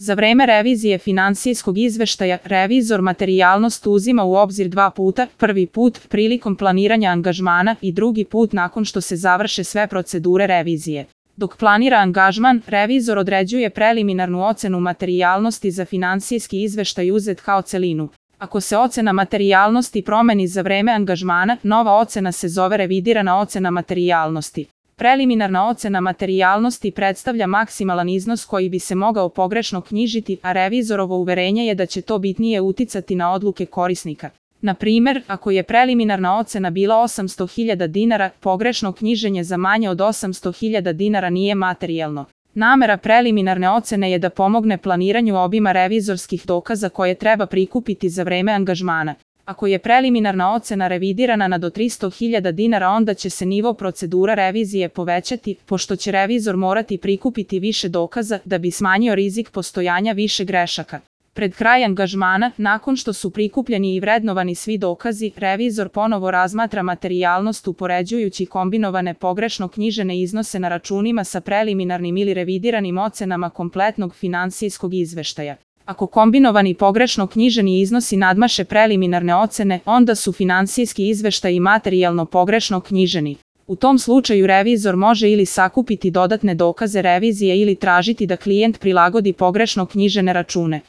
Za vreme revizije finansijskog izveštaja, revizor materijalnost uzima u obzir 2 puta, prvi put prilikom planiranja angažmana i drugi put nakon što se završe sve procedure revizije. Dok planira angažman, revizor određuje preliminarnu ocenu materijalnosti za finansijski izveštaj uzet kao celinu. Ako se ocena materijalnosti promeni za vreme angažmana, nova ocena se zove revidirana ocena materijalnosti. Preliminarna ocena materijalnosti predstavlja maksimalan iznos koji bi se mogao pogrešno knjižiti, a revizorovo uverenje je da će to bitnije uticati na odluke korisnika. Na primer, ako je preliminarna ocena bila 800.000 dinara, pogrešno knjiženje za manje od 800.000 dinara nije materijalno. Namera preliminarne ocene je da pomogne planiranju obima revizorskih dokaza koje treba prikupiti za vreme angažmana. Ako je preliminarna ocena revidirana na do 300.000 dinara, onda će se nivo procedura revizije povećati, pošto će revizor morati prikupiti više dokaza da bi smanjio rizik postojanja više grešaka. Pred kraj angažmana, nakon što su prikupljeni i vrednovani svi dokazi, revizor ponovo razmatra materijalnost upoređujući kombinovane pogrešno knjižene iznose na računima sa preliminarnim ili revidiranim ocenama kompletnog finansijskog izveštaja. Ako kombinovani pogrešno knjiženi iznosi nadmaše preliminarne ocene, onda su finansijski izveštaji materijalno pogrešno knjiženi. U tom slučaju revizor može ili sakupiti dodatne dokaze revizije ili tražiti da klijent prilagodi pogrešno knjižene račune.